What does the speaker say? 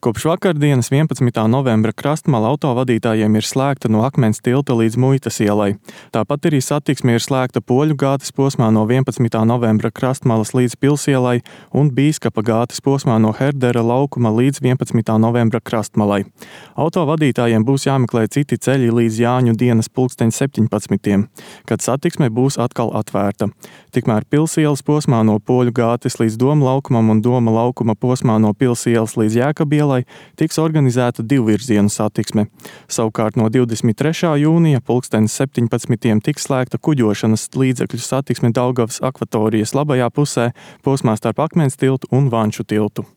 Kopš vakardienas 11. novembra krastmala autovadītājiem ir slēgta no Akmens tilta līdz Muitas ielai. Tāpat arī satiksme ir slēgta Poļu gātes posmā no 11. novembra krastmalas līdz Pilsielai un Bīskapa gātes posmā no Herdera laukuma līdz 11. novembra krastmalai. Autovadītājiem būs jāmeklē citi ceļi līdz Jāņu dienas 17. kad satiksme būs atkal atvērta. Tikmēr Pilsielas posmā no Poļu gātes līdz Doma laukumam un Doma laukuma posmā no Pilsielas līdz Jēkabielai tiks organizēta divvirzienu satiksme. Savukārt no 23. jūnija 17. tiks slēgta kuģošanas līdzekļu satiksme Daugavas akvatorijas labajā pusē posmā starp Akmens tiltu un Vanču tiltu.